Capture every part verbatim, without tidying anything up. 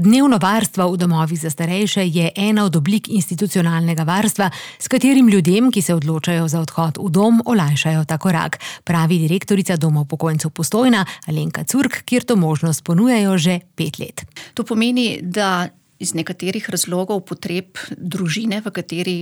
Dnevno varstvo v domovih za starejše je ena od oblik institucionalnega varstva, s katerim ljudem, ki se odločajo za odhod v dom, olajšajo ta korak, pravi direktorica Doma upokojencev Postojna Alenka Curk, kjer to možnost ponujajo že pet let. To pomeni, da iz nekaterih razlogov potreb družine, v kateri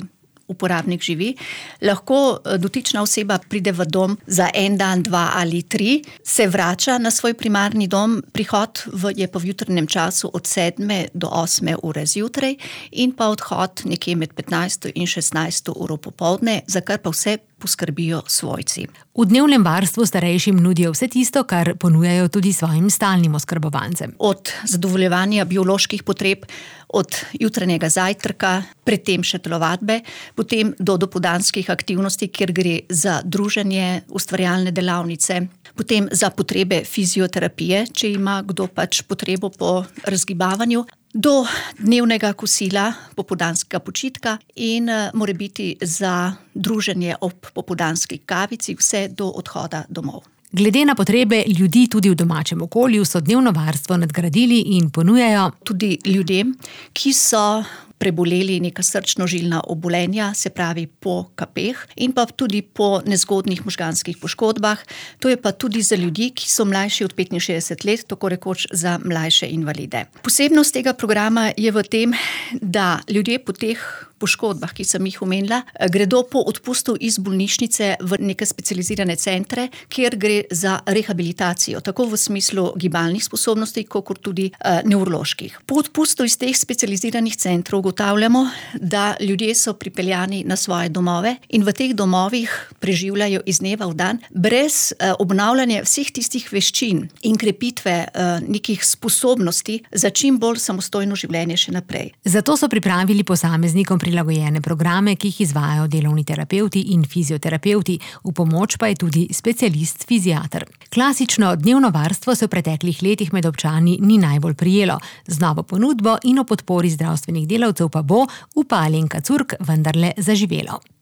uporabnik živi, lahko dotična oseba pride v dom za en dan, dva ali tri, se vrača na svoj primarni dom, prihod v, je pa v jutrnjem času od sedme do osme ure zjutraj in pa odhod nekje med petnajsto in šestnajsto uro popoldne, za kar pa vse poskrbijo svojci. V dnevnem varstvu starejšim nudijo vse tisto, kar ponujajo tudi svojim stalnim oskrbovancem. Od zadovoljevanja bioloških potreb, od jutranjega zajtrka, predtem še telovadbe, potem do dopoldanskih aktivnosti, kjer gre za druženje, ustvarjalne delavnice, potem za potrebe fizioterapije, če ima kdo pač potrebo po razgibavanju, do dnevnega kosila, popoldanskega počitka in morebiti za druženje ob popoldanski kavici, vse do odhoda domov. Glede na potrebe ljudi tudi v domačem okolju so dnevno varstvo nadgradili in ponujajo tudi ljudem, ki so preboleli neka srčno-žilna obolenja, se pravi po kapeh in pa tudi po nezgodnih možganskih poškodbah. To je pa tudi za ljudi, ki so mlajši od petinšestdeset let, tako rekoč za mlajše invalide. Posebnost tega programa je v tem, da ljudje po teh poškodbah, ki sem jih omenila, gredo po odpustu iz bolnišnice v neke specializirane centre, kjer gre za rehabilitacijo, tako v smislu gibalnih sposobnosti, kot tudi uh, nevroloških. Po odpustu iz teh specializiranih centrov ugotavljamo, da ljudje so pripeljani na svoje domove in v teh domovih preživljajo iz dneva v dan, brez uh, obnavljanja vseh tistih veščin in krepitve uh, nekih sposobnosti za čim bolj samostojno življenje še naprej. Zato so pripravili posameznikom prilagojene programe, ki jih izvajajo delovni terapevti in fizioterapevti, v pomoč pa je tudi specialist fiziater. Klasično dnevno varstvo se v preteklih letih med občani ni najbolj prijelo. Z novo ponudbo in o podpori zdravstvenih delavcev pa bo, upa Alenka Curk, vendarle zaživelo.